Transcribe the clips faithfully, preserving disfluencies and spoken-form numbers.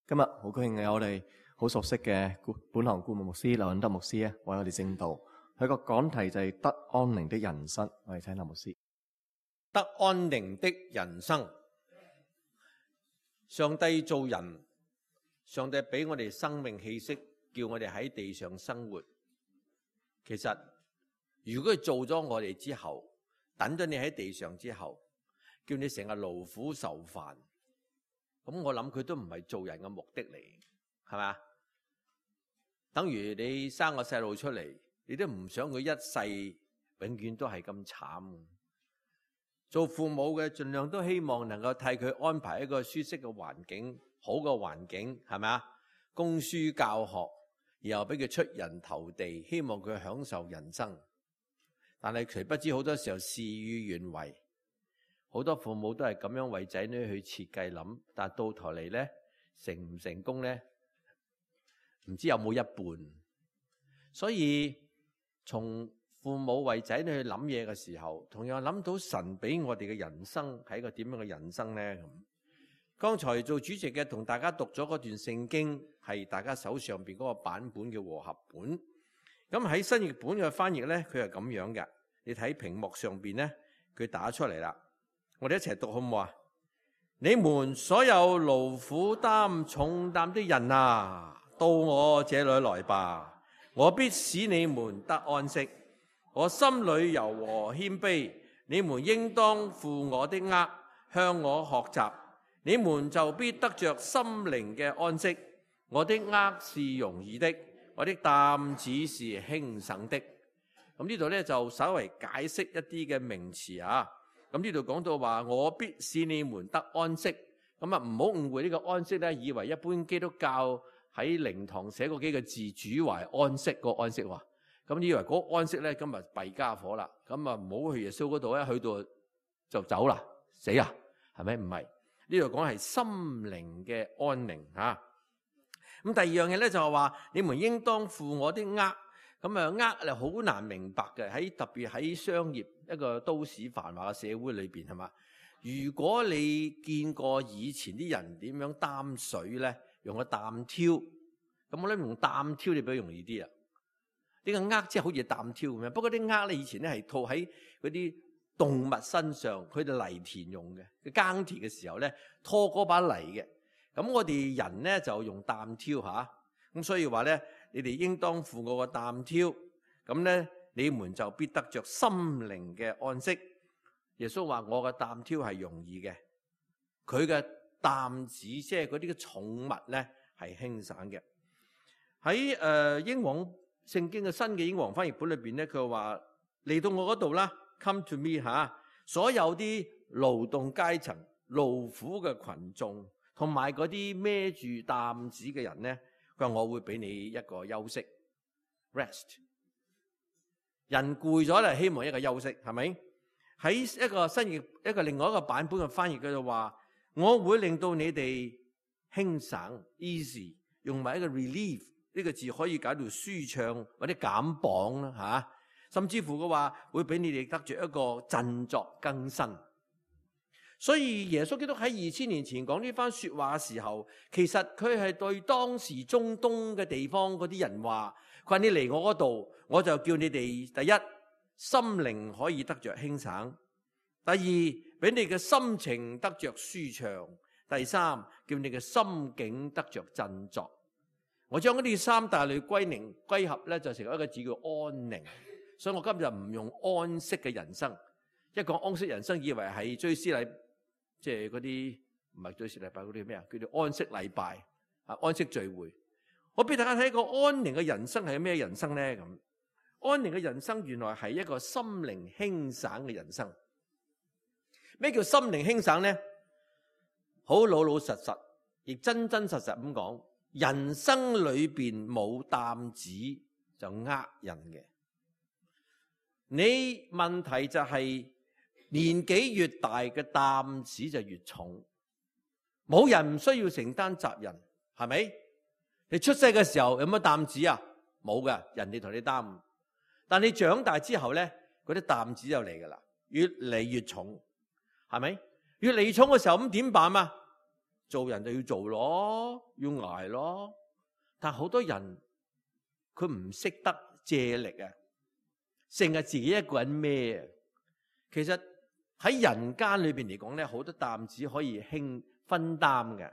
今日好高興有我哋好熟悉嘅本堂顧問牧師劉允德牧師咧，為我哋證道。佢個講題就係得安寧的人生。我哋請劉牧師。得安寧的人生。上帝造人，上帝俾我哋生命氣息，叫我哋喺地上生活。其實如果佢做咗我哋之後，等咗你喺地上之後，叫你成日勞苦受煩，咁我諗佢都唔係做人嘅目的嚟，係咪？等於你生個細路出嚟，你都唔想佢一世永遠都係咁慘。做父母嘅盡量都希望能夠替佢安排一個舒適嘅環境，好嘅環境，係咪啊？供書教學，然後俾佢出人頭地，希望佢享受人生。但係誰不知好多時候事與願違，好多父母都係咁樣為仔女去設計諗，但係到頭嚟咧，成唔成功咧，唔知有冇一半。所以從父母為仔女去諗嘢嘅時候，同樣諗到神俾我哋嘅人生係一個點樣嘅人生咧？咁剛才做主席嘅同大家讀咗嗰段聖經，係大家手上邊嗰個版本嘅和合本。咁喺新譯本嘅翻譯咧，佢係咁樣嘅。你睇屏幕上邊咧，佢打出嚟啦。我哋一齊讀好唔好啊？你們所有勞苦擔重擔的人啊，到我這裏來吧，我必使你們得安息。我心裏柔和謙卑，你們應當負我的軛，向我學習，你們就必得着心靈嘅安息。我的軛是容易的，我的擔子是輕省的。咁呢度咧就稍微解釋一啲嘅名詞啊。咁呢度講到話，我必使你們得安息。咁啊，唔好誤會呢個安息咧，以為一般基督教喺靈堂寫過幾個字，主懷安息個安息話。咁以為嗰個安息咧，今日弊家伙啦。咁啊，唔好去耶穌嗰度咧，去到就走啦，死啦，係咪？唔係，呢度講係心靈嘅安寧嚇。咁第二樣嘢咧就係話，你們應當負我的軛。咁啊，軛係好難明白嘅，喺特別喺商業一個都市繁華嘅社會裏邊，係嘛？如果你見過以前啲人點樣擔水咧，用個擔挑，咁我諗用擔挑你比較容易啲啊。呢個軛即係好似擔挑咁樣，不過啲軛咧以前咧係套喺嗰啲動物身上，佢哋犁田用嘅，佢耕田嘅時候咧拖嗰把犁嘅。咁我哋人咧就用擔挑吓，咁所以話咧，你哋應當負我個擔挑，咁咧你們就必得着心靈嘅安息。耶穌話我嘅擔挑係容易嘅，佢嘅擔子即係嗰啲嘅重物咧係輕省嘅。喺誒、呃、英皇聖經嘅新嘅英皇翻譯本裏邊咧，佢話嚟到我嗰度啦 ，come to me 吓，所有啲勞動階層、勞苦嘅群眾，同埋嗰啲孭住擔子嘅人咧，佢話我會俾你一個休息 ，rest。人攰咗咧，希望一個休息，係咪？喺一個新譯一個另外一個版本嘅翻譯，佢就話我會令到你哋輕省 easy， 用埋一個 relief 呢個字可以解到舒暢或者減磅啦吓，甚至乎嘅話會俾你哋得着一個振作更新。所以耶穌基督喺二千年前講呢番說話嘅時候，其實佢係對當時中東嘅地方嗰啲人話，佢話你嚟我嗰度，我就叫你哋第一心靈可以得着輕省，第二俾你嘅心情得着舒暢，第三叫你嘅心境得着振作。我將嗰啲三大類歸寧歸合咧，就成為一個字叫安寧。所以我今日唔用安息嘅人生，一講安息人生，以為係追思禮，即係嗰啲唔係追思禮拜嗰啲咩啊？叫做安息禮拜啊，安息聚會。我俾大家睇一個安寧嘅人生係咩人生咧？咁安寧嘅人生原來係一個心靈輕省嘅人生。咩叫心靈輕省咧？好老老實實，亦真真實實咁講。人生裏邊冇擔子就呃人嘅。你問題就係年紀越大嘅擔子就越重。冇人唔需要承擔責任，係咪？你出世嘅時候有乜擔子啊？冇㗎，人哋同你擔。但你長大之後咧，嗰啲擔子就嚟噶啦，越嚟越重，係咪？越嚟越重嘅時候咁點辦啊？做人就要做咯，要捱咯。但好多人佢唔識得借力啊，成日自己一個人孭啊。其實喺人間裏邊嚟講咧，好多擔子可以輕分擔嘅。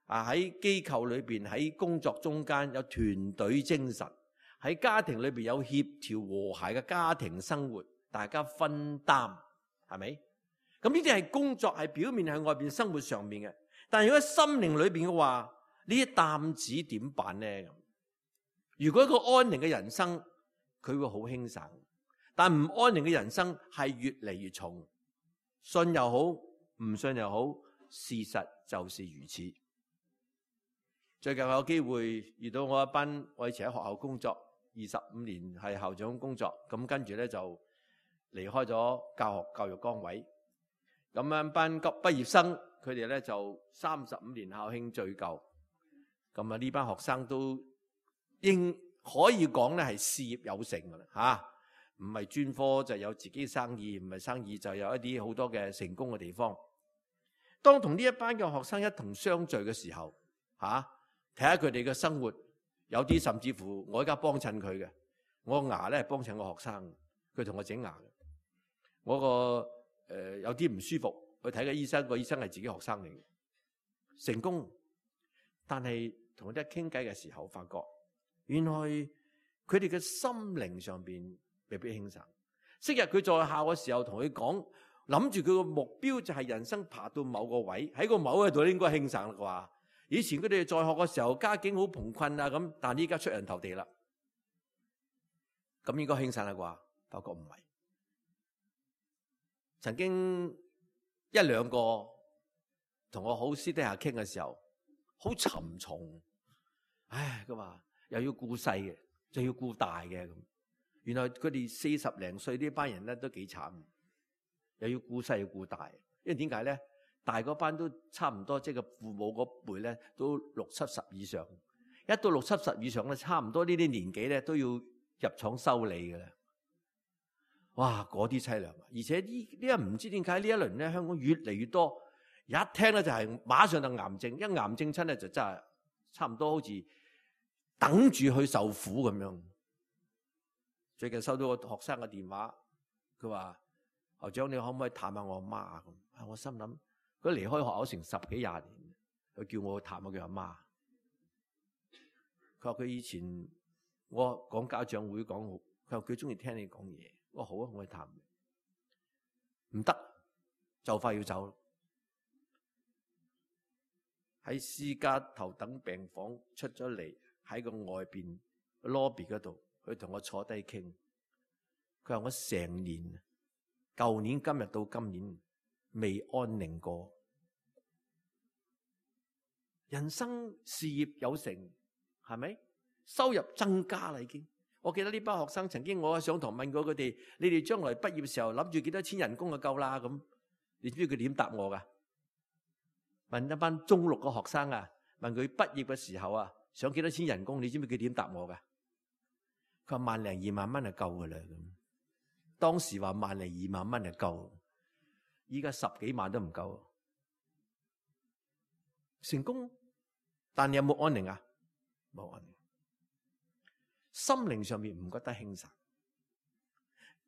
啊，喺機構裏邊，喺工作中間有團隊精神，喺家庭裏邊有協調和諧嘅家庭生活，大家分擔，係咪？咁呢啲係工作，係表面喺外邊生活上面嘅。但係如果喺心靈裏邊嘅話，呢啲擔子點辦呢？如果一個安寧嘅人生，佢會好輕省；但唔安寧嘅人生係越嚟越重。信又好，唔信又好，事實就是如此。最近我有機會遇到我一班，我以前喺學校工作二十五年，係校長工作，咁跟住咧就離開咗教學教育崗位。咁樣班畢業生，佢哋咧就三十五年校慶聚舊。咁啊呢班學生都應可以講咧係事業有成噶啦嚇，唔係專科就有自己生意，唔係生意就有一啲好多嘅成功嘅地方。當同呢一班嘅學生一同相聚嘅時候，嚇睇下佢哋嘅生活，有啲甚至乎我而家幫襯佢嘅，我個牙咧係幫襯個學生，佢同我整牙嘅。我個誒、呃、有啲唔舒服，去睇個醫生，個醫生係自己學生嚟嘅，成功。但係同佢哋傾偈嘅時候，發覺原來佢哋嘅心靈上邊未必輕省。昔日佢在校嘅時候，同佢講，諗住佢個目標就係人生爬到某個位，喺個某個度應該輕省啦啩。以前佢哋在學嘅時候，家境好窮困啊咁，但係依家出人頭地啦，咁應該輕省啦啩？發覺唔係。曾經一兩個同我好私底下傾嘅時候，好沉重。唉，佢話又要顧細嘅，就要顧大嘅咁。原來佢哋四十零歲呢班人咧都幾慘，又要顧細要顧大。因為點解咧？大嗰班都差唔多，即係個父母嗰輩咧都六七十以上。一到六七十以上咧，差唔多呢啲年紀咧都要入廠修理嘅啦。哇，嗰啲凄涼！而且呢呢一唔知點解呢一輪咧，香港越嚟越多，一聽咧就係馬上就癌症，一癌症親咧就真係差唔多好似等住去受苦咁樣。最近收到個學生嘅電話，佢話：校長，你可唔可以探下我阿媽啊？咁，我心諗。佢離開學校成十幾廿年，佢叫我去探下佢阿媽。佢話佢以前我講家長會講好，佢話佢中意聽你講嘢。我話好啊，我去探你。唔得，就快要走。喺私家頭等病房出咗嚟，喺個外邊 lobby 嗰度，佢同我坐低傾。佢話我成年，舊年今日到今年，未安寧過。人生事業有成，係咪？收入增加啦已經。我記得呢班學生曾經我上堂問過佢哋：你哋將來畢業嘅時候諗住幾多錢人工就夠啦？咁你知唔知佢點答我噶？問一班中六嘅學生啊，問佢畢業嘅時候啊，想幾多錢人工？你知唔知佢點答我噶？佢話萬零二萬蚊就夠噶啦。咁當時話萬零二萬蚊就夠。依家十幾萬都唔夠，成功，但你有冇安寧啊？冇安寧，心靈上面唔覺得輕省。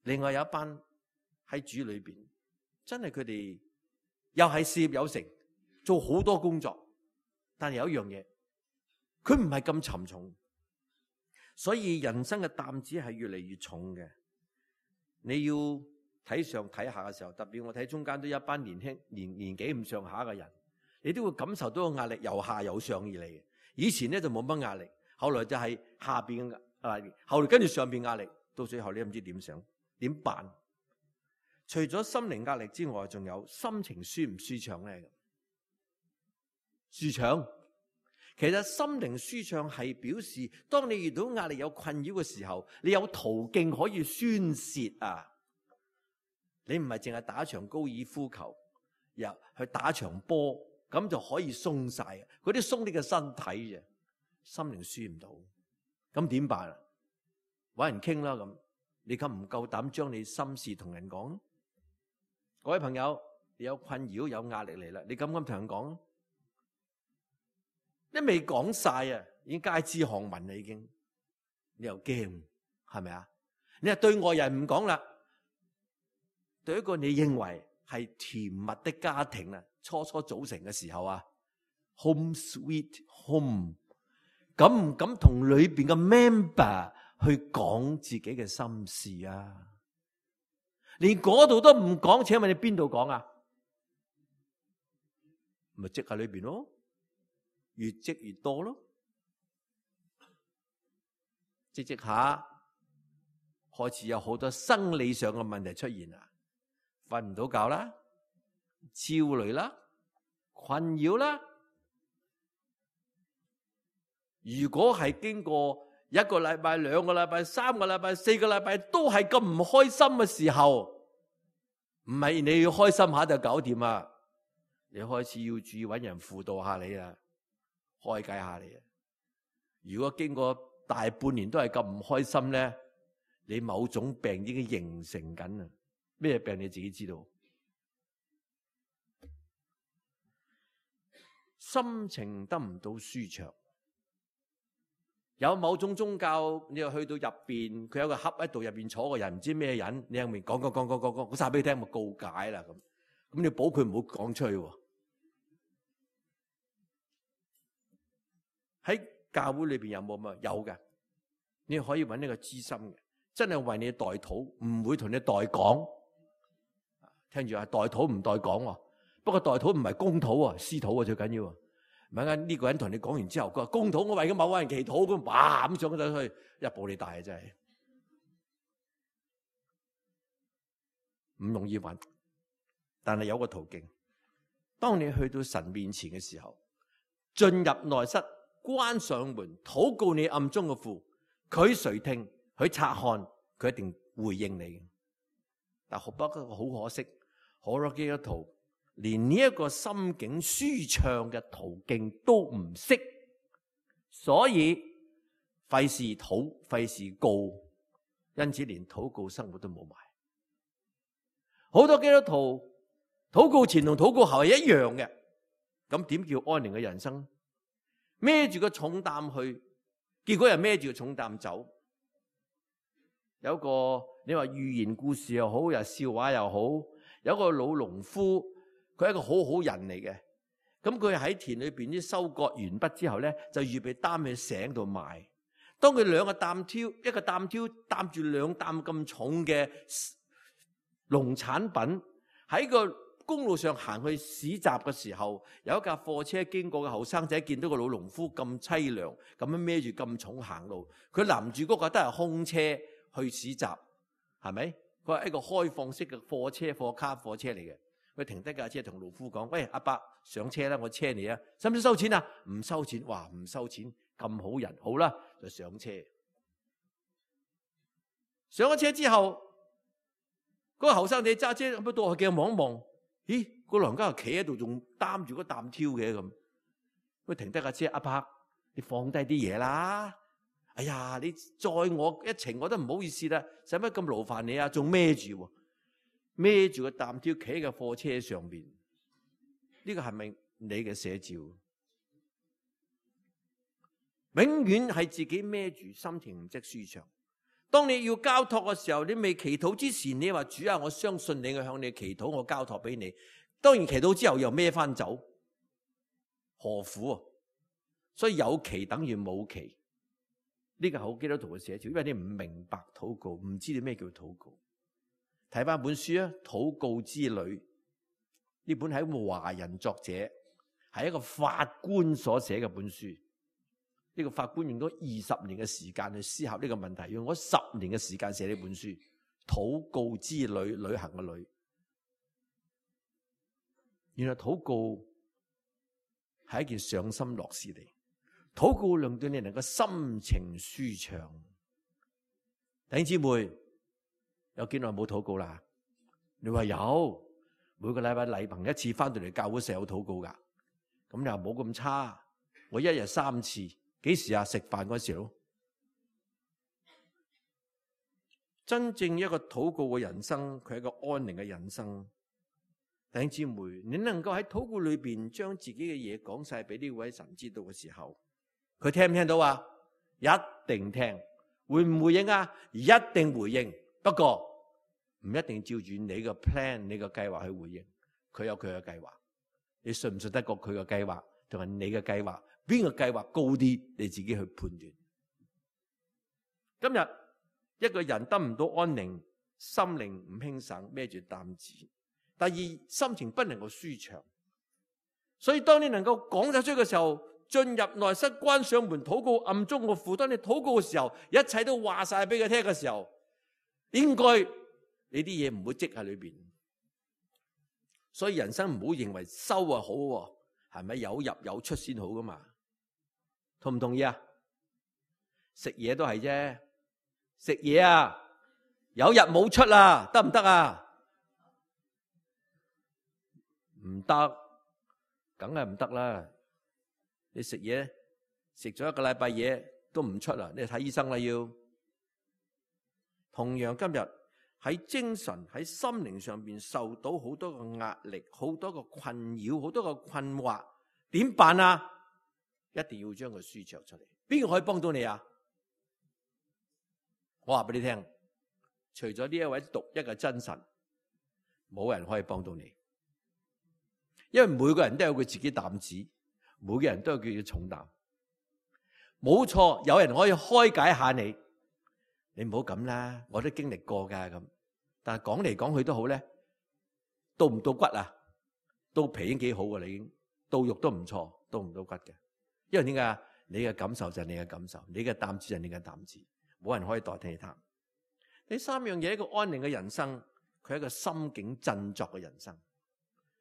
另外有一班喺主裏邊，真係佢哋又係事業有成，做好多工作，但係有一樣嘢，佢唔係咁沉重，所以人生嘅擔子係越嚟越重嘅。你要睇上睇下嘅時候，特別我睇中間都有一班年輕年年紀咁上下嘅人，你都會感受到個壓力由下由上而嚟嘅。以前咧就冇乜壓力，後來就係下邊嘅壓力，後來跟住上邊壓力，到最後你都唔知點想點辦。除咗心靈壓力之外，仲有心情舒唔舒暢咧？舒暢，其實心靈舒暢係表示，當你遇到壓力有困擾嘅時候，你有途徑可以宣泄啊！你唔係淨係打場高爾夫球，又去打場波，咁就可以鬆晒。嗰啲鬆你嘅身體啫，心靈舒唔到，咁點辦啊？搵人傾啦咁，你夠唔夠膽將你心事同人講？各位朋友，你有困擾有壓力嚟啦，你敢唔敢同人講？你未講晒啊，已經街知巷聞啦，已經。你又驚，係咪啊？你係對外人唔講啦，對一個你認為係甜蜜的家庭啊，初初組成嘅時候啊 ，home sweet home， 敢唔敢同裏邊嘅 member 去講自己嘅心事啊？連嗰度都唔講，請問你邊度講啊？咪積喺裏邊咯，越積越多咯，積積下開始有好多生理上嘅問題出現啦，瞓唔到覺啦，焦慮啦，困擾啦。如果係經過一個禮拜、兩個禮拜、三個禮拜、四個禮拜都係咁唔開心嘅時候，唔係你要開心下就搞掂啊！你開始要注意揾人輔導下你啊，開解下你啊。如果經過大半年都係咁唔開心咧，你某種病已經形成緊啊！咩病你自己知道？心情得唔到舒暢。有某種宗教，你又去到入邊，佢有個盒喺度，入邊坐個人，唔知咩人，你入面講講講講講講，講晒俾你聽，咪告解啦咁。咁你保佢唔好講出去喎。喺教會裏邊有冇啊？有嘅，你可以揾呢個知心嘅，真係為你代禱，唔會同你代講。聽住啊，代禱唔代講喎。不過代禱唔係公禱啊，私禱啊最緊要。唔係啱呢個人同你講完之後，佢話公禱我為咗某個人祈禱，咁哇咁上咗去，一步你大啊真係，唔容易揾。但係有個途徑，當你去到神面前嘅時候，進入內室，關上門，禱告你暗中嘅父，佢垂聽，佢察看，佢一定回應你。但不過好可惜，好多基督徒連呢一個心境舒暢嘅途徑都唔識，所以費事禱，費事告，因此連禱告生活都冇埋。好多基督徒禱告前同禱告後係一樣嘅，咁點叫安寧嘅人生？孭住個重擔去，結果又孭住個重擔走。有個你話寓言故事又好，又笑話又好，有個老農夫。佢係一個好好人嚟嘅，咁佢喺田裏邊啲收割完畢之後咧，就預備擔去井度賣。當佢兩個擔挑，一個擔挑擔住兩擔咁重嘅農產品喺個公路上行去市集嘅時候，有一架貨車經過嘅後生仔見到個老農夫咁淒涼，咁樣孭住咁重行路，佢攔住嗰個都係空車去市集，係咪？佢係一個開放式嘅貨車、貨卡貨車嚟嘅。佢停低架車同農夫講：喂，阿伯上車啦，我車你啊，使唔使收錢啊？唔收錢，哇，唔收錢，咁好人，好啦，就上車。上咗車之後，嗰個後生仔揸車咁到去鏡望一望，咦，個老人家企喺度仲擔住個擔挑嘅咁。佢停低架車，阿伯，你放低啲嘢啦。哎呀，你載我一程我都唔好意思啦，使乜咁勞煩你啊？仲孭住。孭住個擔挑企喺個貨車上邊，呢個係咪你嘅寫照？永遠係自己孭住，心情唔即舒暢。當你要交託嘅時候，你未祈禱之前，你話主啊，我相信你，我向你祈禱，我交託俾你。當然祈禱之後又孭翻走，何苦啊？所以有祈等於冇祈，呢個係好基督徒嘅寫照，因為你唔明白禱告，唔知道咩叫禱告。睇翻本書啊，《禱告之旅》呢本係一個華人作者，係一個法官所寫嘅本書。呢個法官用咗二十年嘅時間去思考呢個問題，用咗十年嘅時間寫呢本書。禱告之旅，旅行嘅旅。原來禱告係一件上心樂事嚟，禱告令到你能夠心情舒暢。弟兄姊妹，有幾耐冇禱告啦？你話有，每個禮拜禮憑一次翻到嚟教會成日有禱告噶。咁你話冇咁差，我一日三次，幾時啊？食飯嗰時咯。真正一個禱告嘅人生，佢係一個安寧嘅人生。弟兄姊妹，你能夠喺禱告裏邊將自己嘅嘢講晒俾呢位神知道嘅時候，佢聽唔聽到啊？一定聽。會唔回應啊？一定回應。不過唔一定照住你個 plan、你個計劃去回應。佢有佢嘅計劃，你信唔信得過佢嘅計劃同埋你嘅計劃？邊個計劃高啲？你自己去判斷。今日一個人得唔到安寧，心靈唔輕省，孭住擔子。第二，心情不能夠舒暢。所以當你能夠講得出嘅時候，進入內室，關上門禱告，暗中個父。當你禱告嘅時候，一切都話晒俾佢聽嘅時候，應該你啲嘢唔會積喺裏邊。所以人生唔好認為收啊好，係咪有入有出先好噶嘛？同唔同意啊？食嘢都係啫，食嘢啊有入冇出啊，得唔得啊？唔得，梗係唔得啦！你食嘢食咗一個禮拜嘢都唔出啦，你睇醫生啦要。同樣今日喺精神喺心靈上邊受到好多個壓力，好多個困擾，好多個困惑，點辦啊？一定要將佢舒暢出嚟。邊個可以幫到你啊？我話俾你聽，除咗呢一位獨一嘅真神，冇人可以幫到你。因為每個人都有佢自己擔子，每個人都有佢嘅重擔。冇錯，有人可以開解下你，你唔好咁啦，我都經歷過噶咁。但係講嚟講去都好咧，到唔到骨啊？到皮已經幾好噶啦，已經到肉都唔錯，到唔到骨嘅。因為點解？你嘅感受就係你嘅感受，你嘅擔子就係你嘅擔子，冇人可以代替他。第三樣嘢，一個安寧嘅人生，佢係一個心境振作嘅人生。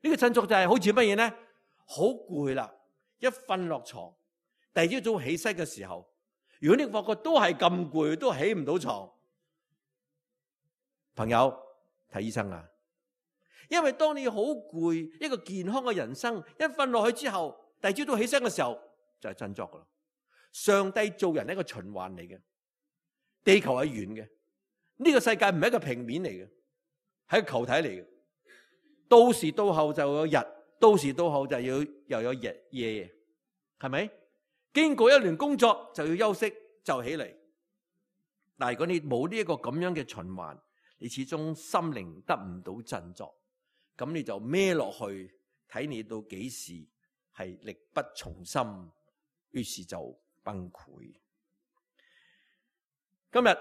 呢個振作就係好似乜嘢咧？好攰啦，一瞓落床，第二朝早起身嘅時候，如果你發覺都係咁攰，都起唔到床，朋友睇醫生啊！因為當你好攰，一個健康嘅人生，一瞓落去之後，第二朝早起身嘅時候就係振作噶啦。上帝做人係一個循環嚟嘅，地球係圓嘅，呢個世界唔係一個平面嚟嘅，係一個球體嚟嘅。到時到後就有日，到時到後就要又有日夜，係咪？經過一輪工作就要休息，就起嚟。但係如果你冇呢一個咁樣嘅循環，你始終心靈得唔到振作，咁你就孭落去，睇你到幾時係力不從心，於是就崩潰。今日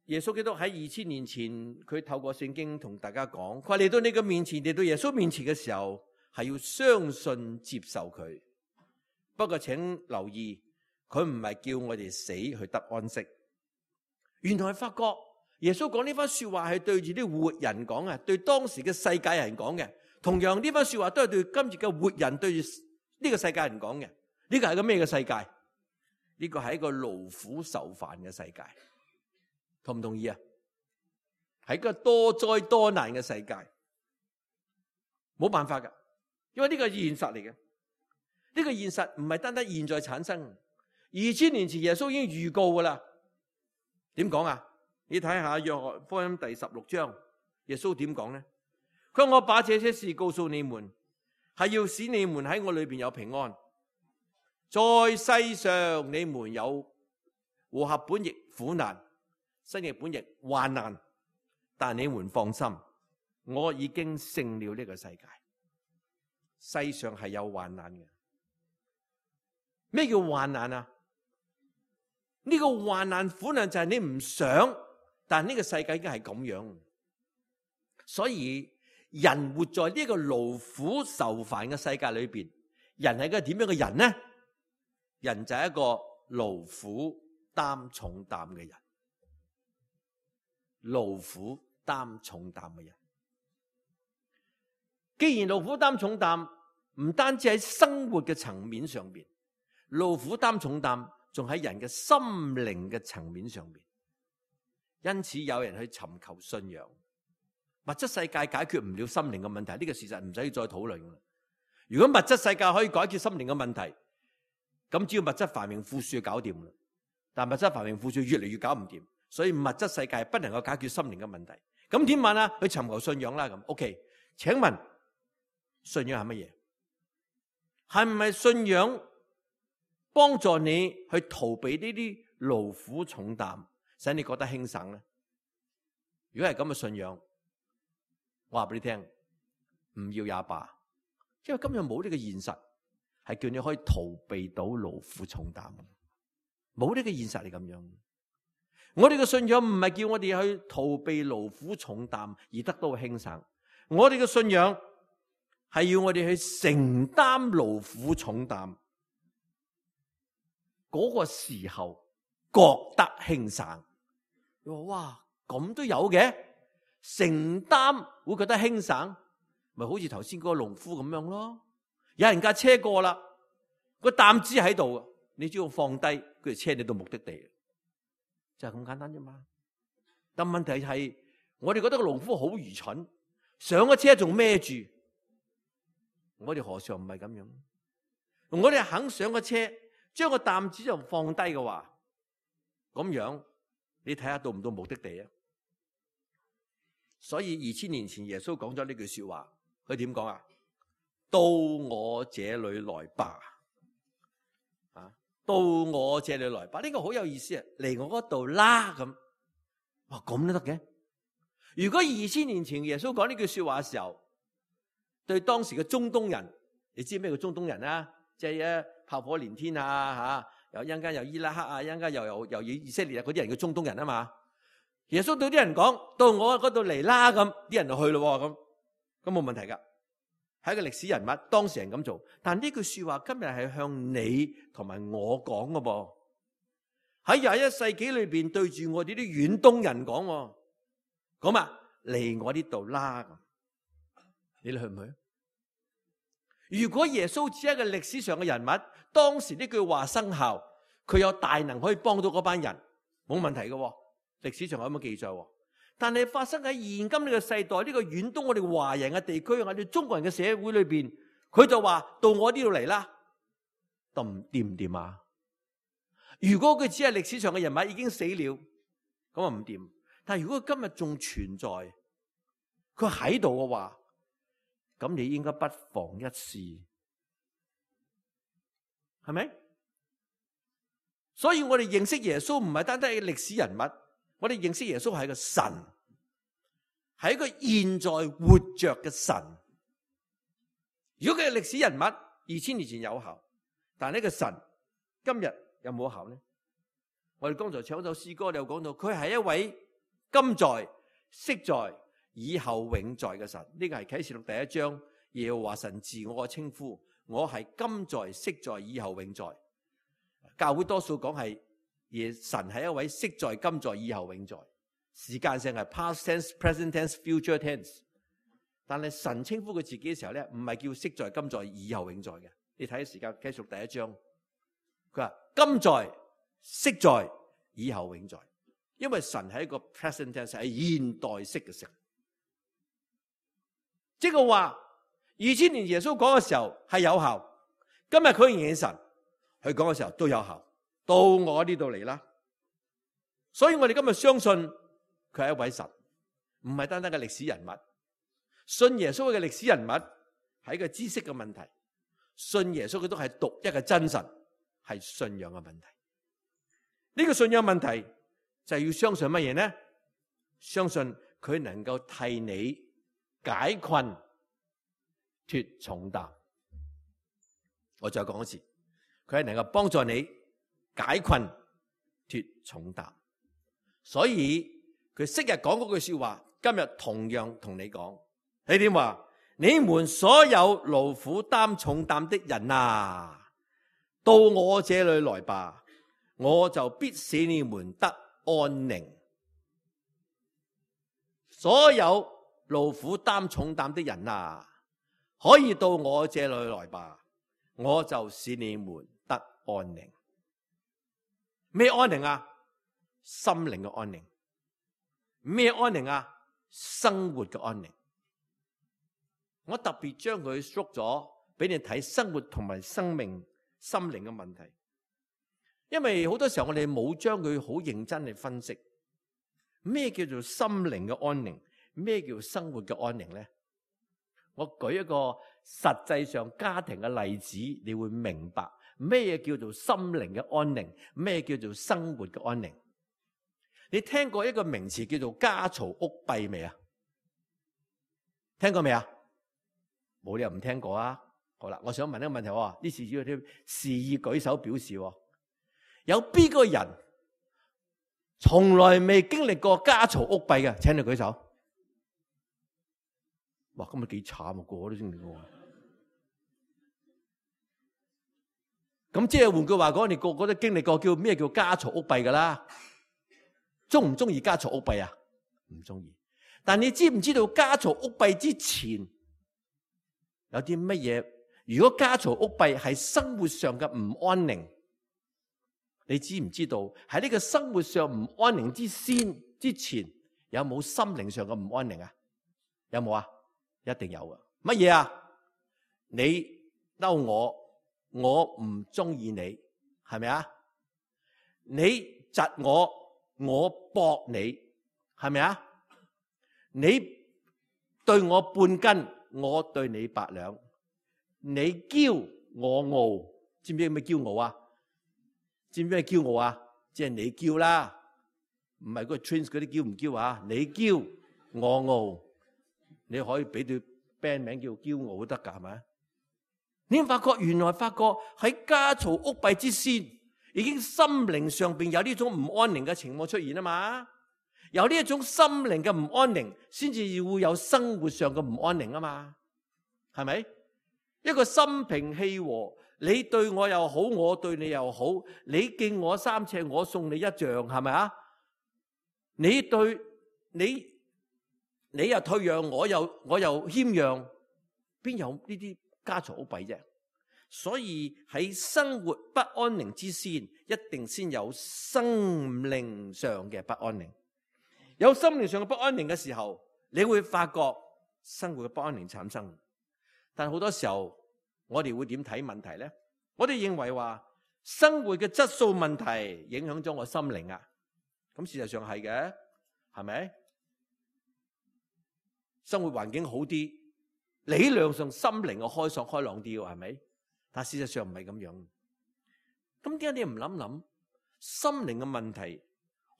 耶穌基督喺二千年前，佢透過聖經同大家講，佢話嚟到你嘅面前，嚟到耶穌面前嘅時候，係要相信接受佢。不過請留意，佢唔係叫我哋死去得安息。原來發覺耶穌講呢番說話係對住啲活人講嘅，對當時嘅世界人講嘅。同樣呢番說話都係對今日嘅活人，對住呢個世界人講嘅。呢個係個咩嘅世界？呢個係一個勞苦受煩嘅世界。同唔同意啊？係一個多災多難嘅世界，冇辦法噶，因為呢個係現實嚟嘅。呢個現實唔係單單現在產生，二千年前耶穌已經預告噶啦。點講啊？你睇下約翰福音第十六章，耶穌點講呢？佢話我把這些事告訴你們，係要使你們喺我裏邊有平安。在世上你們有和合本譯苦難，新譯本譯患難，但你們放心，我已經勝了呢個世界。世上係有患難嘅。咩叫患難啊？呢個患難苦難就係你唔想，但呢個世界已經係咁樣。所以人活在呢個勞苦受煩嘅世界裏邊，人係一個點樣嘅人呢？人就係一個勞苦擔重擔嘅人。勞苦擔重擔嘅人，既然勞苦擔重擔，唔單止喺生活嘅層面上邊，勞苦擔重擔仲喺人嘅心靈嘅層面上邊。因此有人去尋求信仰。物質世界解決唔了心靈嘅問題，呢個事實唔使再討論啦。如果物質世界可以解決心靈嘅問題，咁只要物質繁榮富庶就搞掂啦。但物質繁榮富庶越嚟越搞唔掂。所以物質世界不能夠解決心靈嘅問題，咁點辦啊？去尋求信仰啦咁。OK，請問信仰係乜嘢？係唔係信仰幫助你去逃避呢啲勞苦重擔，使你覺得輕省咧？如果係咁嘅信仰，我話俾你聽，唔要也罷，因為今日冇呢個現實，係叫你可以逃避到勞苦重擔，冇呢個現實係咁樣。我哋嘅信仰唔係叫我哋去逃避勞苦重擔而得到輕省，我哋嘅信仰係要我哋去承擔勞苦重擔，嗰個時候覺得輕省。你話哇，咁都有嘅，承擔會覺得輕省，咪好似頭先嗰個農夫咁樣咯。有人架車過啦，個擔子喺度，你只要放低，佢就車你到目的地。就係咁簡單啫嘛。但問題係，我哋覺得個農夫好愚蠢，上咗車仲孭住。我哋何嘗唔係咁樣？我哋肯上個車，將個擔子就放低嘅話，咁樣你睇下到唔到目的地啊？所以二千年前耶穌講咗呢句說話，佢點講啊？到我這裏來吧。到我這裏來吧，呢個好有意思啊！嚟我嗰度啦咁，哇咁都得嘅。如果二千年前耶穌講呢句說話嘅時候，對當時嘅中東人，你知咩叫中東人啊？即係啊炮火連天啊吓，又一陣間又伊拉克啊，一陣間又又又以色列啊，嗰啲人叫中東人啊嘛。耶穌對啲人講：到我嗰度嚟啦咁，啲人就去咯咁，咁冇問題噶。係一個歷史人物，當事人咁做，但呢句說話今日係向你同埋我講嘅噃。喺廿一世紀裏邊對住我哋啲遠東人講，講啊嚟我呢度啦，你哋去唔去？如果耶穌只係一個歷史上嘅人物，當時呢句話生效，佢有大能可以幫到嗰班人，冇問題嘅。歷史上有咁嘅記載。但係發生喺現今呢個世代，呢個遠東我哋華人嘅地區，我哋中國人嘅社會裏邊，佢就話到我呢度嚟啦，得唔掂唔掂啊？如果佢只係歷史上嘅人物已經死了，咁啊唔掂。但係如果佢今日仲存在，佢喺度嘅話，咁你應該不妨一試，係咪？所以我哋認識耶穌唔係單單係歷史人物。我哋認識耶穌係個神，係一個現在活着嘅神。如果佢係歷史人物，二千年前有效，但係呢個神今日有冇效呢？我哋剛才唱咗首詩歌，你又講到佢係一位今在、昔在、以後永在嘅神。呢個係啟示錄第一章耶和華神自我嘅稱呼，我係今在、昔在、以後永在。教會多數講係。而神係一位昔在、今在、以後永在，時間性係 past tense、present tense、future tense。但係神稱呼佢自己嘅時候咧，唔係叫昔在、今在、以後永在嘅。你睇下時間繼續第一章，佢話今在、昔在、以後永在，因為神係一個 present tense，係現代式嘅神。即係話二千年耶穌講嘅時候係有效，今日佢仍然係神，佢講嘅時候都有效。到我呢度嚟啦，所以我哋今日相信佢係一位神，唔係單單嘅歷史人物。信耶穌嘅歷史人物係一個知識嘅問題，信耶穌佢都係獨一嘅真神，係信仰嘅問題。呢個信仰問題就係要相信乜嘢呢？相信佢能夠替你解困脫重擔。我再講一次，佢係能夠幫助你解困脫重擔，所以佢昔日講嗰句說話，今日同樣同你講。你點話？你們所有勞苦擔重擔的人啊，到我這裏來吧，我就必使你們得安寧。所有勞苦擔重擔的人啊，可以到我這裏來吧，我就使你們得安寧。咩安寧啊？心靈嘅安寧。咩安寧啊？生活嘅安寧。我特別將佢縮咗俾你睇生活同埋生命心靈嘅問題，因為好多時候我哋冇將佢好認真去分析咩叫做心靈嘅安寧，咩叫生活嘅安寧咧？我舉一個實際上家庭嘅例子，你會明白咩叫做心靈嘅安寧，咩叫做生活嘅安寧。你聽過一個名詞叫做家嘈屋閉未啊？聽過未啊？冇理由唔聽過啊！好啦，我想問一個問題喎，呢次要啲示意舉手表示，有邊個人從來未經歷過家嘈屋閉嘅？請你舉手。哇，今日幾慘啊！個個都經歷過。咁即係換句話講，你個個都經歷過叫咩叫家嘈屋閉噶啦？中唔中意家嘈屋閉啊？唔中意。但你知唔知道家嘈屋閉之前有啲乜嘢？如果家嘈屋閉係生活上嘅唔安寧，你知唔知道喺呢個生活上唔安寧之先之前，有冇心靈上嘅唔安寧啊？有冇啊？一定有啊！乜嘢啊？你嬲我，我唔中意你，係咪啊？你窒我，我駁你，係咪啊？你對我半斤，我對你八兩。你驕我傲，知唔知咩驕傲啊？知唔知咩驕傲啊？即係你驕啦，唔係嗰個 Twins 嗰啲驕唔驕啊？你驕我傲，你可以俾對 band 名叫驕傲都得噶，係咪？你發覺原來發覺喺家嘈屋閉之先，已經心靈上邊有呢種唔安寧嘅情況出現啊嘛。有呢一種心靈嘅唔安寧，先至會有生活上嘅唔安寧啊嘛，係咪？一個心平氣和，你對我又好，我對你又好，你敬我三尺，我送你一丈，係咪啊？你對你，你又退讓，我又我又謙讓，邊有呢啲家嘈屋閉啫？所以喺生活不安寧之先，一定先有心靈上嘅不安寧。有心靈上嘅不安寧嘅時候，你會發覺生活嘅不安寧產生。但好多時候，我哋會點睇問題咧？我哋認為話生活嘅質素問題影響咗我心靈啊。咁事實上係嘅，係咪？生活環境好啲，理論上心靈嘅開爽開朗啲，係咪？但事實上唔係咁樣。咁點解你唔諗諗心靈嘅問題？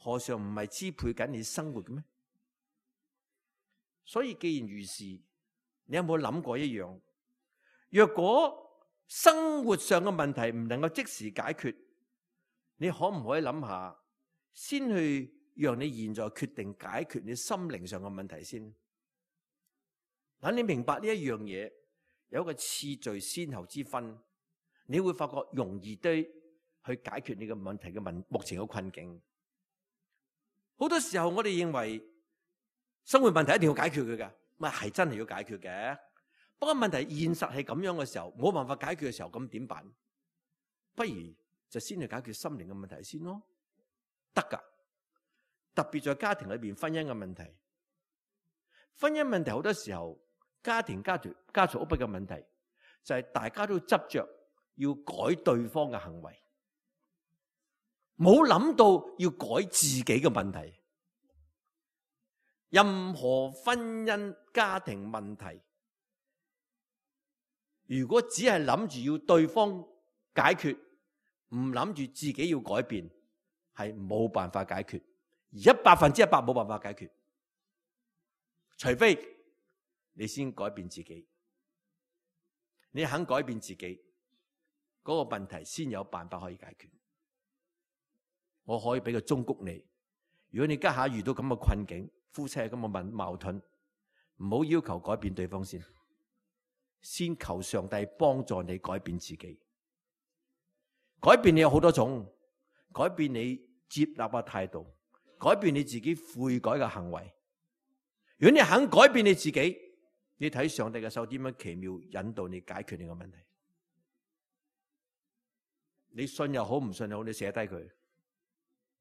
何嘗唔係支配緊你生活嘅咩？所以既然如是，你有冇諗過一樣？若果生活上嘅問題唔能夠即時解決，你可唔可以諗下，先去讓你現在決定解決你心靈上嘅問題先？等你明白呢一樣嘢，有一個次序先後之分，你會發覺容易啲去解決你嘅問題嘅問目前嘅困境。好多時候我哋認為生活問題一定要解決佢㗎，咪係真係要解決嘅。不過問題現實係咁樣嘅時候，冇辦法解決嘅時候，咁點辦？不如就先去解決心靈嘅問題先咯，得㗎。特別在家庭裏邊婚姻嘅問題，婚姻問題好多時候家庭家族家嘈屋閉嘅問題，就係大家都執着要改對方嘅行為。冇諗到要改自己嘅問題。任何婚姻家庭問題，如果只係諗住要對方解決，唔諗住自己要改變，係冇辦法解決，而一百分之一百冇辦法解決。除非你先改變自己，你肯改變自己，嗰個問題先有辦法可以解決。我可以俾個忠告你，如果你家下遇到咁嘅困境，夫妻係咁嘅問矛盾，唔好要求改變對方先，先求上帝幫助你改變自己。改變你有好多種，改變你接納嘅態度，改變你自己悔改嘅行為。如果你肯改變你自己，你睇上帝嘅手點樣奇妙引導你解決你嘅問題。你信又好，唔信又好，你寫低佢。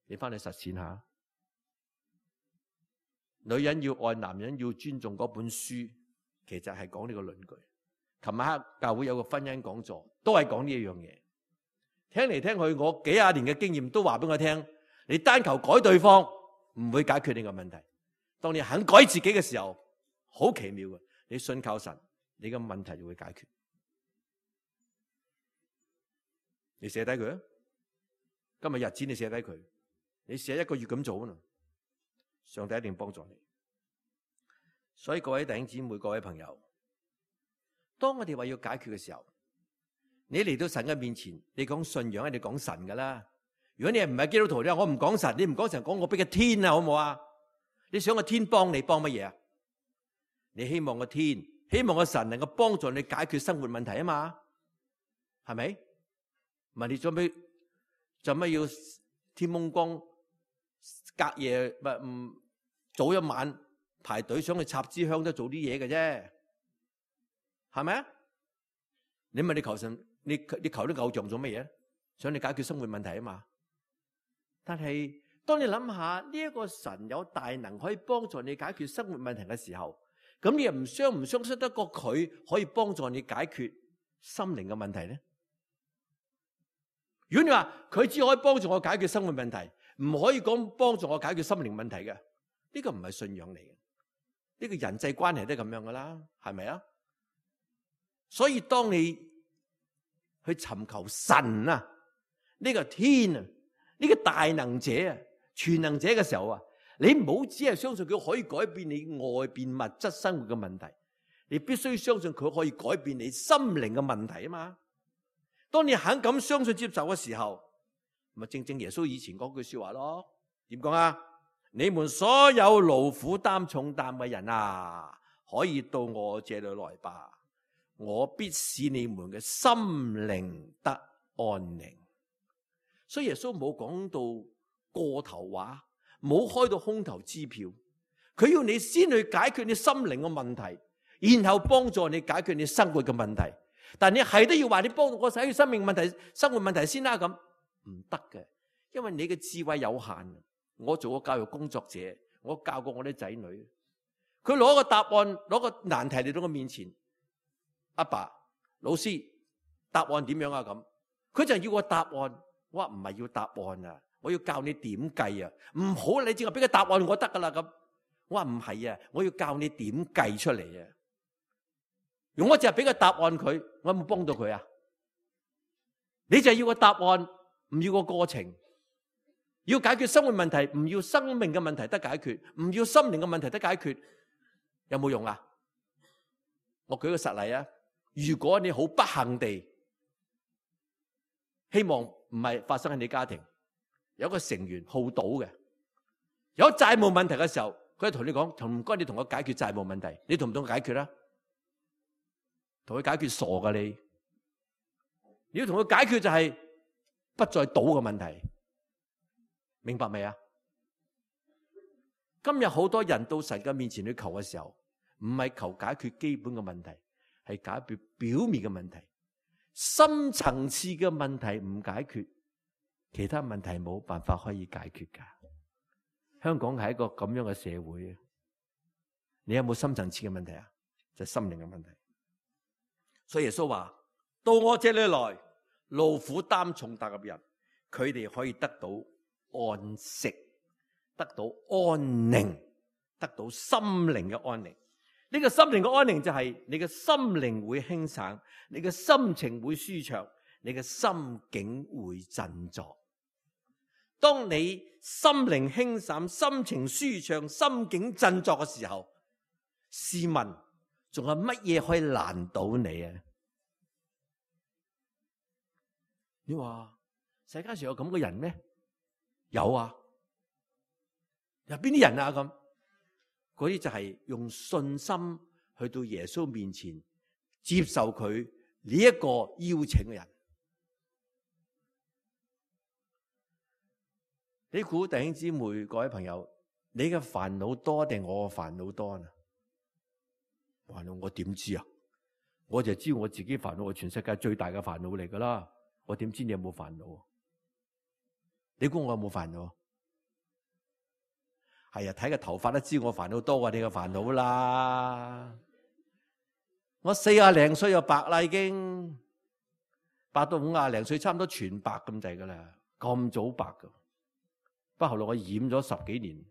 你翻去實踐下，女人要愛男人要尊重嗰本書，其實係講呢個論據。琴晚黑教會有個婚姻講座，都係講呢一樣嘢。聽嚟聽去，我幾廿年嘅經驗都話俾我聽，你單求改對方唔會解決呢個問題。當你肯改自己嘅時候，好奇妙嘅。你信靠神，你嘅問題就會解決。你寫低佢啊！今日日子你寫低佢，你寫一個月咁做啊！上帝一定幫助你。所以各位弟兄姊妹、各位朋友，當我哋話要解決嘅時候，你嚟到神嘅面前，你講信仰，你講神噶啦。如果你係唔係基督徒咧，我唔講神，你唔講神，講我俾個天啊，好唔好啊？你想個天幫你幫乜嘢啊？你希望個天，希望個神能夠幫助你解決生活問題啊嘛？係咪？問你做咩？做咩要天蒙光隔夜唔唔早一晚排隊想去插支香都做啲嘢嘅啫，係咪啊？你問你求神，你你求啲偶像做乜嘢？想你解決生活問題啊嘛？但係當你諗下呢一個神有大能可以幫助你解決生活問題嘅時候，咁你又唔相唔相信得過佢可以幫助你解決心靈嘅問題咧？如果你話佢只可以幫助我解決生活問題，唔可以講幫助我解決心靈問題嘅，呢個唔係信仰嚟嘅，呢個人際關係都係咁樣噶啦，係咪啊？所以當你去尋求神啊，呢個天啊，呢個大能者啊，全能者嘅時候啊，你唔好只係相信佢可以改變你外邊物質生活嘅問題，你必須相信佢可以改變你心靈嘅問題啊嘛。當你肯咁相信接受嘅時候，咪正正耶穌以前嗰句說話咯。點講啊？你們所有勞苦擔重擔嘅人啊，可以到我這裏來吧，我必使你們嘅心靈得安寧。所以耶穌冇講到過頭話，冇開到空頭支票，佢要你先去解決你心靈嘅問題，然後幫助你解決你生活嘅問題。但你係都要話你幫我解決生命問題、生活問題先啦，咁唔得嘅，因為你嘅智慧有限。我做過教育工作者，我教過我啲仔女，佢攞個答案，攞個難題嚟到我面前，阿爸，老師，答案點樣啊？咁佢就要個答案，我話唔係要答案啊，我要教你點計啊，唔好你只係俾個答案我得噶啦咁，我話唔係啊，我要教你點計出嚟啊。如果我淨係俾個答案佢，我有冇幫到佢啊？你就係要個答案，唔要個過程。要解決生活問題，唔要生命嘅問題得解決，唔要心靈嘅問題得解決，有冇用啊？我舉個實例啊，如果你好不幸地，希望唔係發生喺你家庭，有一個成員好賭嘅，有債務問題嘅時候，佢同你講，唔該你同我解決債務問題，你同唔同佢解決啊？同佢解決傻噶你，你要同佢解決就係不再賭嘅問題，明白未啊？今日好多人到神嘅面前去求嘅時候，唔係求解決基本嘅問題，係解決表面嘅問題，深層次嘅問題唔解決，其他問題冇辦法可以解決噶。香港係一個咁樣嘅社會，你有冇深層次嘅問題啊？就係心靈嘅問題。所以耶穌話：到我這裏來，勞苦擔重擔嘅人，佢哋可以得到安息，得到安寧，得到心靈嘅安寧。呢個心靈嘅安寧就係你嘅心靈會輕省，你嘅心情會舒暢，你嘅心境會振作。當你心靈輕省、心情舒暢、心境振作嘅時候，試問仲有乜嘢可以難倒你啊？你話世界上有咁嘅人咩？有啊。有邊啲人啊？咁嗰啲就係用信心去到耶穌面前接受佢呢一個邀請嘅人。你估弟兄姊妹各位朋友，你嘅煩惱多定我嘅煩惱多啊？煩惱我點知啊？我就知我自己煩惱係全世界最大嘅煩惱嚟噶啦。我點知你有冇煩惱？你估我有冇煩惱？係啊，睇個頭髮都知我煩惱多過你嘅煩惱啦。我四廿零歲就白啦，已經白到五廿零歲，差唔多全白咁滯噶啦，咁早白噶。不過後來我染咗十幾年，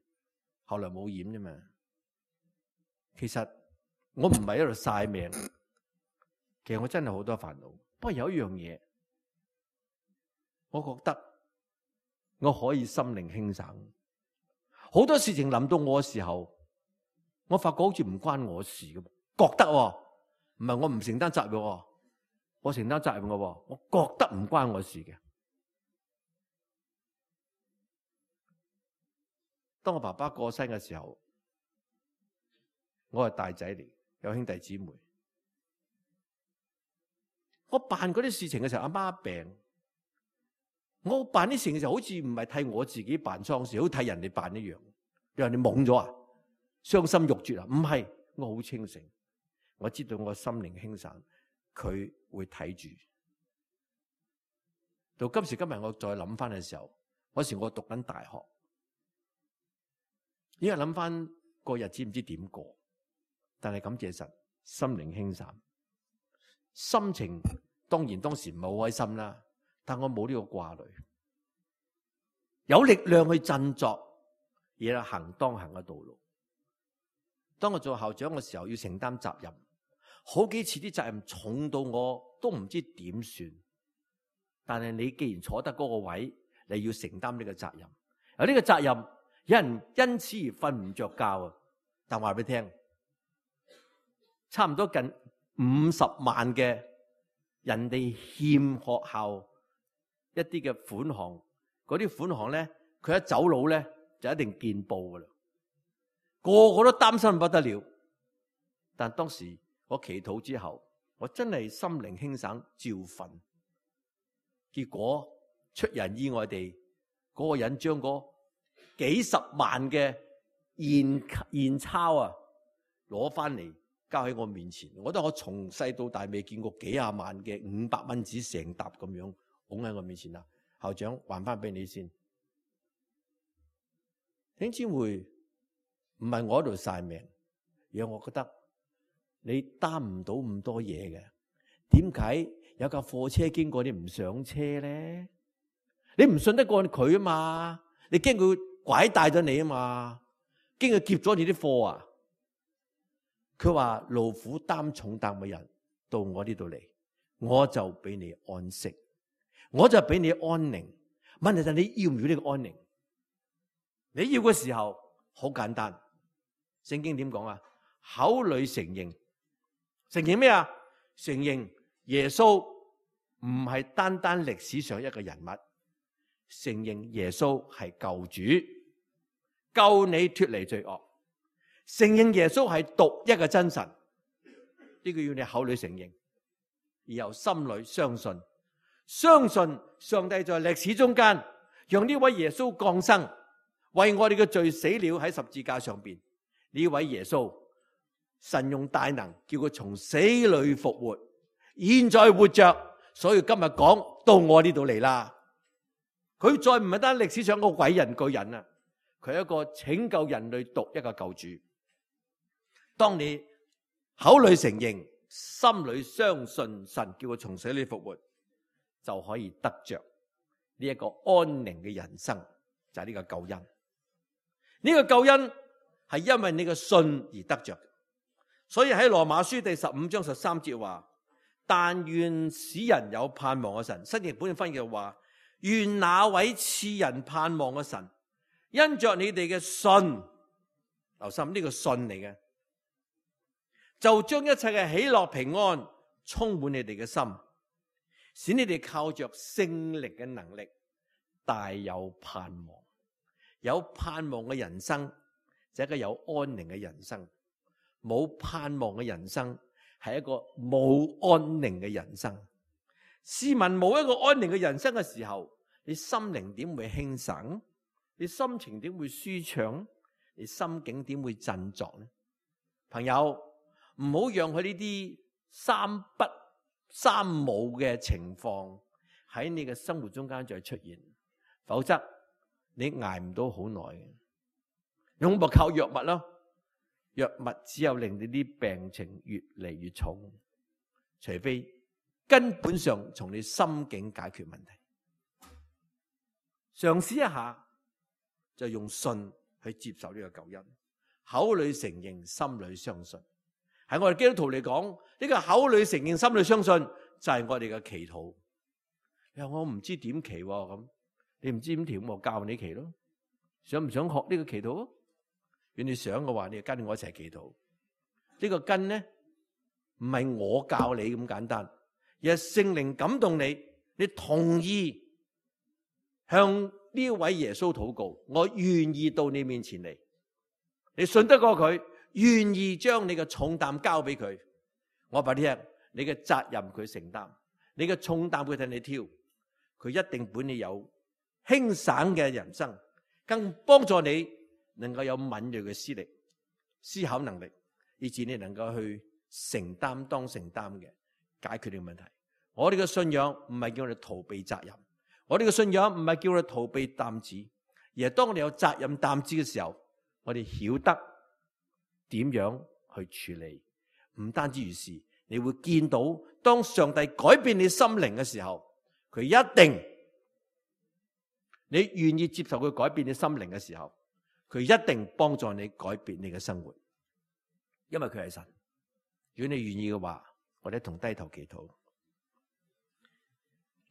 後來冇染啫嘛。其實我唔係喺度晒命，其實我真係好多煩惱，不過有一樣嘢，我覺得我可以心靈輕省。好多事情臨到我嘅時候，我發覺好似唔關我事咁，覺得唔係我唔承擔責任，我承擔責任嘅，我覺得唔關我事嘅。當我爸爸過身嘅時候，我係大仔嚟，有兄弟姊妹。我辦嗰啲事情嘅時候，阿媽病，我辦啲事情嘅時候，好似唔係替我自己辦喪事，好似替人哋辦一樣。你話你懵咗啊？傷心欲絕啊？唔係，我好清醒，我知道我心靈輕省，佢會睇住。到今時今日，我再諗翻嘅時候，嗰時我讀緊大學，因為諗翻個日子唔知點過，但係感謝神，心靈輕省。心情當然當時唔係好開心啦，但我冇呢個掛慮，有力量去振作，而行當行嘅道路。當我做校長嘅時候，要承擔責任，好幾次啲責任重到我都唔知點算。但係你既然坐得嗰個位，你要承擔呢個責任。有呢個責任，有人因此而瞓唔着覺啊！但話俾你聽，差唔多近五十萬嘅人哋欠學校一啲嘅款項，嗰啲款項咧，佢一走佬咧就一定見報噶啦，個個都擔心不得了。但當時我祈禱之後，我真係心靈輕省，照瞓。結果出人意外地，嗰、那個人將嗰幾十萬嘅現現鈔啊攞翻嚟，交喺我面前。我覺得我從細到大未見過幾廿萬嘅五百蚊紙成沓咁樣拱喺我面前啦。校長，還翻俾你先。弟兄姊妹，唔係我喺度晒命，而係我覺得你擔唔到咁多嘢嘅。點解有架貨車經過你唔上車咧？你唔信得過佢啊嘛？你驚佢拐帶咗你啊嘛？驚佢劫咗你啲貨啊？佢話勞苦擔重擔嘅人到我呢度嚟，我就俾你安息，我就俾你安寧。問題就係你要唔要呢個安寧？你要嘅時候好簡單，聖經點講啊？口裏承認，承認咩啊？承認耶穌唔係單單歷史上一個人物，承認耶穌係救主，救你脫離罪惡。承認耶穌係獨一嘅真神，呢個要你口裏承認，而由心裏相信，相信上帝在歷史中間讓呢位耶穌降生，為我哋嘅罪死了喺十字架上邊。呢位耶穌，神用大能叫佢從死裏復活，現在活着，所以今日講到我呢度嚟啦。佢再唔係單歷史上個偉人巨人啊，佢係一個拯救人類獨一個救主。當你口裏承認，心裏相信神叫佢從死裏復活，就可以得着呢一個安寧嘅人生，就係呢個救恩。呢個救恩係因為你嘅信而得着。所以喺羅馬書第十五章十三節話，但願使人有盼望嘅神，新譯本翻譯話，願那位賜人盼望嘅神，因着你哋嘅信，留心呢個信嚟嘅，就將一切嘅喜樂平安充滿你哋嘅心，使你哋靠着聖靈嘅能力大有盼望。有盼望嘅人生就係一個有安寧嘅人生，冇盼望嘅人生係一個冇安寧嘅人生。試問冇一個安寧嘅人生嘅時候，你心靈點會輕省？你心情點會舒暢？你心境點會振作呢？朋友，唔好讓佢呢啲三不三冇嘅情況喺你嘅生活中間再出現，否則你捱唔到好耐嘅。用咪靠藥物咯，藥物只有令你啲病情越嚟越重，除非根本上從你心境解決問題。嘗試一下，就用信去接受呢個救恩，口裏承認，心裏相信。喺我哋基督徒嚟講，呢個口裏承認，心裏相信，就係我哋嘅祈禱。你話我唔知點祈咁，你唔知點祈，我教你祈咯。想唔想學呢個祈禱？如果你想嘅話，你就跟我一齊祈禱。呢個跟咧，唔係我教你咁簡單，而係聖靈感動你，你同意向呢位耶穌禱告，我願意到你面前嚟。你信得過佢，願意將你嘅重擔交俾佢。我話你聽，你嘅責任佢承擔，你嘅重擔佢替你挑，佢一定本你有輕省嘅人生，更幫助你能夠有敏銳嘅思力、思考能力，以致你能夠去承擔當承擔嘅解決呢個問題。我哋嘅信仰唔係叫我哋逃避責任，我哋嘅信仰唔係叫我哋逃避擔子，而係當我哋有責任擔子嘅時候，我哋曉得點樣去處理。唔單止如是，你會見到當上帝改變你心靈嘅時候，佢一定，你願意接受佢改變你心靈嘅時候，佢一定幫助你改變你嘅生活，因為佢係神。如果你願意嘅話，我哋一同低頭祈禱。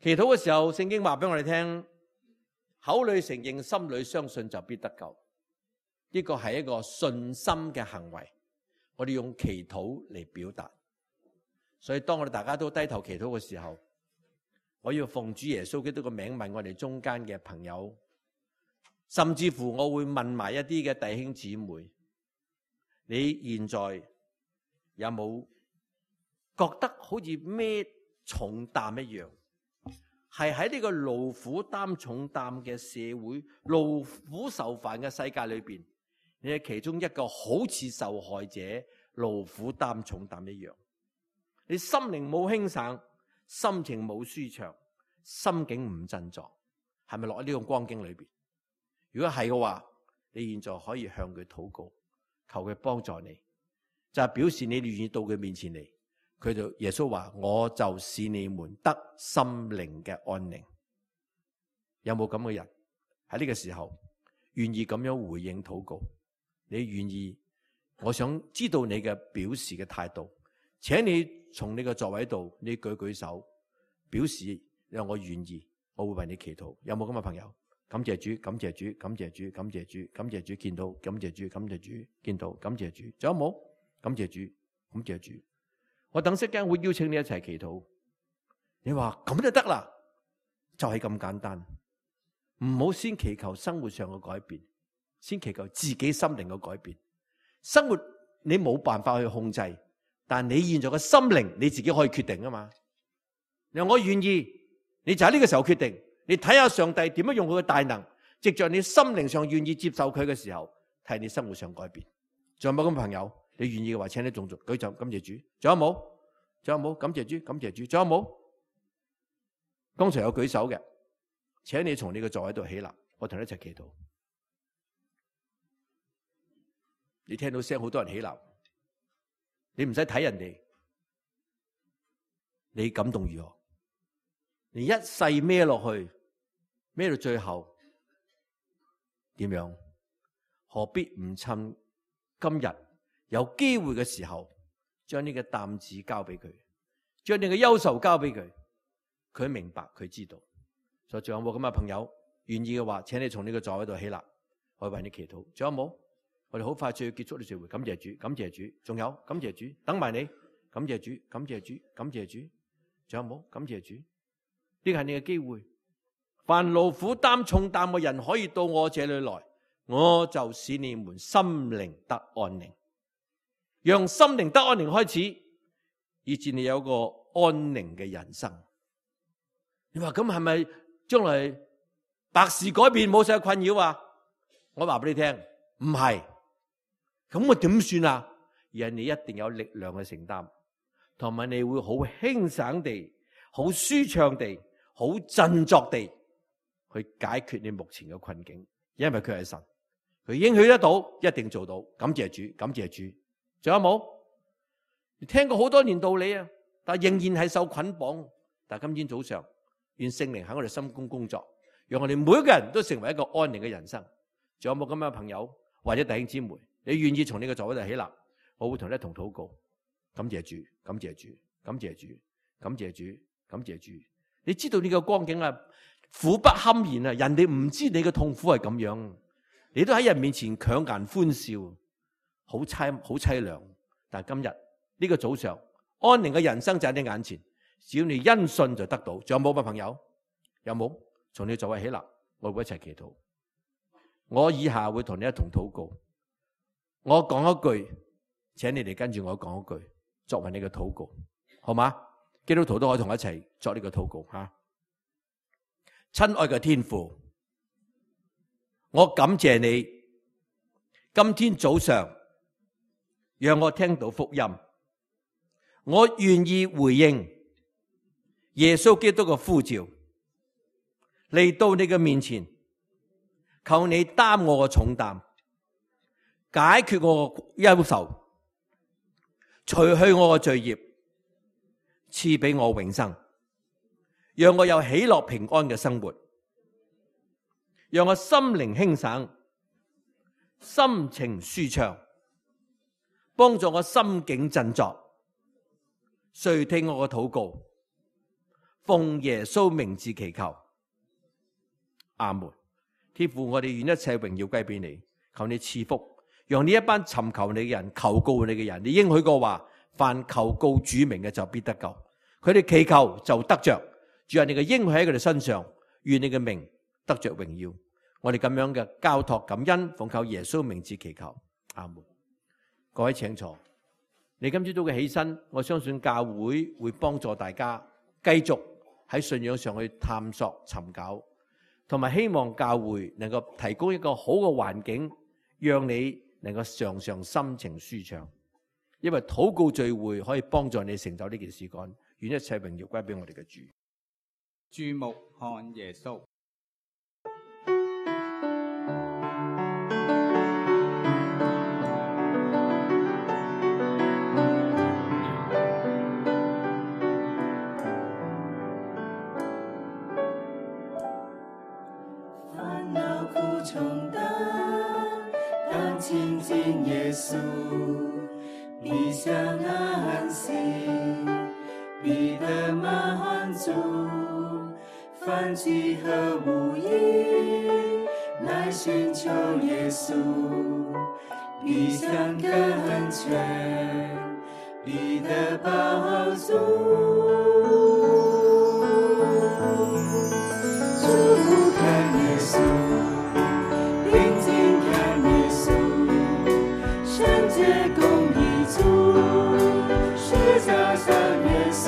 祈禱嘅時候，聖經話俾我哋聽，口裏承認，心裏相信就必得救。呢個係一個信心嘅行為，我哋用祈禱嚟表達。所以當我哋大家都低頭祈禱嘅時候，我要奉主耶穌基督嘅名問我哋中間嘅朋友，甚至乎我會問埋一啲嘅弟兄姊妹，你現在有冇覺得好似孭重擔一樣，係喺呢個勞苦擔重擔嘅社會、勞苦受煩嘅世界裏邊，你係其中一個好似受害者、勞苦擔重擔一樣，你心靈冇輕省，心情冇舒暢，心境唔振作，係咪落喺呢個光景裏邊？如果係嘅話，你現在可以向佢禱告，求佢幫助你，就係表示你願意到佢面前嚟。佢就耶穌話：我就使你們得心靈嘅安寧。有冇咁嘅人喺呢個時候願意咁樣回應禱告？你願意？我想知道你嘅表示嘅態度，請你從你嘅座位度，你舉舉手，表示讓我願意，我會為你祈禱。有冇咁嘅朋友？感謝主，感謝主，感謝主，感謝主，感謝主，見到，感謝主，感謝主，見到，感謝主。仲有冇？感謝主，感謝主。我等息間會邀請你一齊祈禱。你話咁就得啦，就係咁簡單。唔好先祈求生活上嘅改變，先祈求自己心靈嘅改變。生活你冇辦法去控制，但你現在嘅心靈你自己可以決定啊嘛。你話我願意，你就喺呢個時候決定。你睇下上帝點樣用佢嘅大能，藉着你心靈上願意接受佢嘅時候，睇你生活上改變。仲有冇咁嘅朋友？你願意嘅話，請你眾族舉手，感謝主。仲有冇？仲有冇？感謝主，感謝主。仲有冇？剛才有舉手嘅，請你從你嘅座位度起立，我同你一齊祈禱。你聽到聲，好多人起立，你唔使睇人哋，你感動如何？你一世孭落去，孭到最後點樣？何必唔趁今日有機會嘅時候，將呢個擔子交俾佢，將你嘅憂愁交俾佢，佢明白，佢知道。所以仲有冇咁嘅朋友願意嘅話，請你從呢個座位度起立，我為你祈禱。仲有冇？我哋好快就要結束呢聚會，感謝主，感謝主。仲有感謝主，等埋你，感謝主，感謝主，感謝主。仲有冇？感謝主。呢個係你嘅機會。凡勞苦擔重擔嘅人可以到我這裏來，我就使你們心靈得安寧。讓心靈得安寧開始，以致你有個安寧嘅人生。你話咁係咪將來百事改變，冇晒困擾啊？我話俾你聽，唔係。咁我點算啊？而係你一定有力量去承擔，同埋你會好輕省地、好舒暢地、好振作地去解決你目前嘅困境，因為佢係神，佢應許得到，一定做到。感謝主，感謝主。仲有冇？你聽過好多年道理啊，但仍然係受捆綁。但今天早上，願聖靈喺我哋心中工作，讓我哋每一個人都成為一個安寧嘅人生。仲有冇咁樣嘅朋友或者弟兄姊妹？你願意從呢個座位度起立，我會同你一同禱告。感謝主，感謝主，感謝主，感謝主，感謝主。你知道呢個光景啊，苦不堪言啊！人哋唔知你嘅痛苦係咁樣，你都喺人面前強顏歡笑，好凄好凄涼。但係今日呢個早上，安寧嘅人生就喺你眼前，只要你因信就得到。仲有冇啊，朋友？有冇？從你座位起立，我會一齊祈禱。我以下會同你一同禱告。我講一句，請你哋跟住我講一句，作為你嘅禱告，好嗎？基督徒都可以同我一齊作呢個禱告吓。親愛嘅天父，我感謝你，今天早上讓我聽到福音，我願意回應耶穌基督嘅呼召，嚟到你嘅面前，求你擔我嘅重擔，解決我嘅憂愁，除去我嘅罪孽，賜俾我永生，讓我有喜樂平安嘅生活，讓我心靈輕省，心情舒暢，幫助我心境振作。垂聽我嘅禱告，奉耶穌名字祈求，阿門。天父，我哋願一切榮耀歸俾你，求你賜福，讓呢一班尋求你嘅人、求告你嘅人，你應許過話，凡求告主名嘅就必得救，佢哋祈求就得着。主啊，你嘅應許喺佢哋身上，願你嘅名得着榮耀。我哋咁樣嘅交託感恩，奉靠耶穌名字祈求，阿門。各位請坐。你今朝早嘅起身，我相信教會會幫助大家繼續喺信仰上去探索、尋找，同埋希望教會能夠提供一個好嘅環境，讓你能夠常常心情舒暢。因為禱告聚會可以幫助你成就呢件事幹，願一切榮耀歸俾我哋嘅主。注目看耶穌。煩惱苦重擔，當親近耶穌，必享安息，必得滿足。凡聚合無益，來尋求耶穌，必享更全，必得飽足。注目看耶穌，定睛看耶穌，聖潔公義主，十架上耶穌。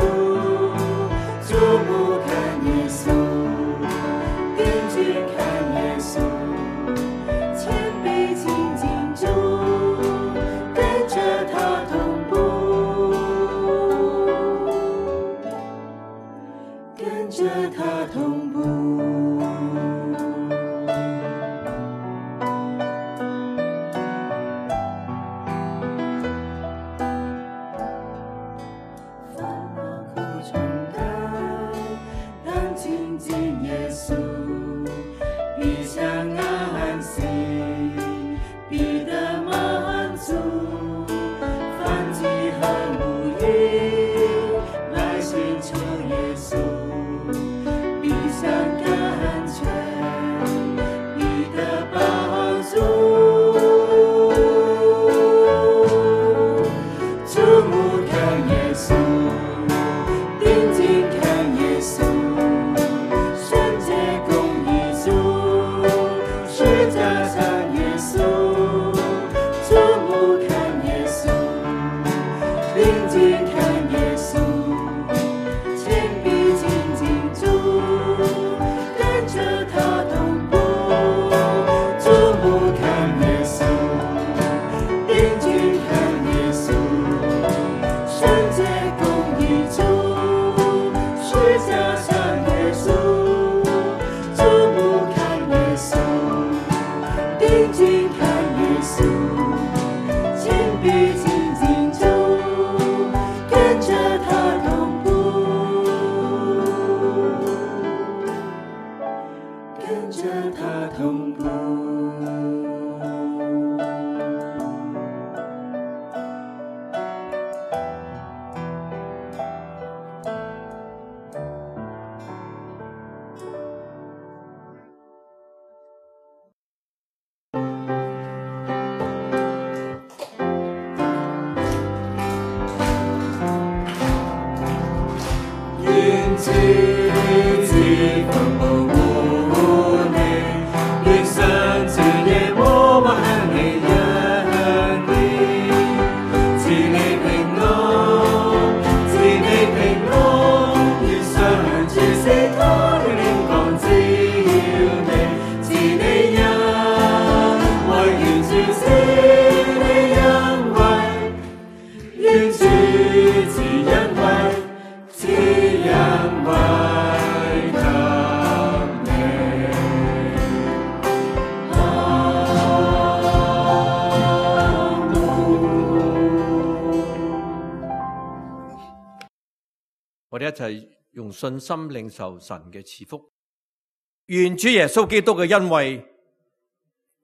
注目看耶穌，定睛看耶穌，謙卑親近主，跟着他同步，跟着他同步。我哋一齊用信心領受神嘅賜福。願主耶穌基督嘅恩惠、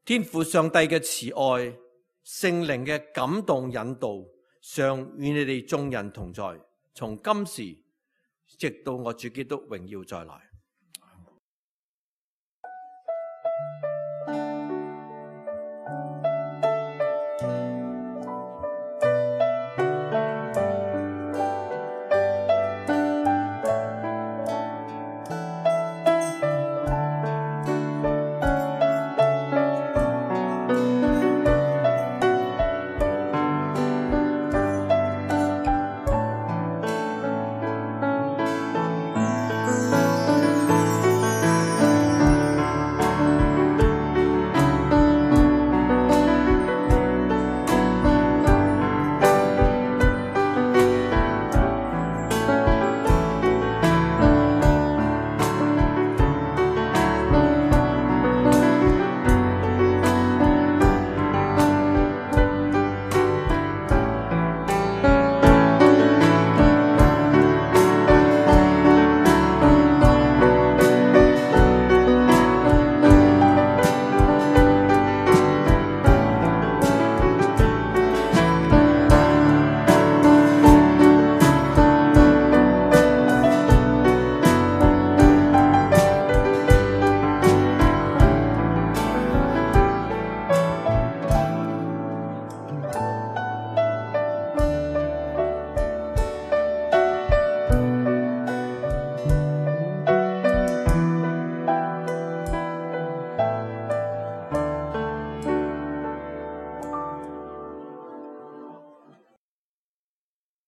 天父上帝嘅慈愛、聖靈嘅感動引導，常與你哋眾人同在，從今時直到我主基督榮耀再來。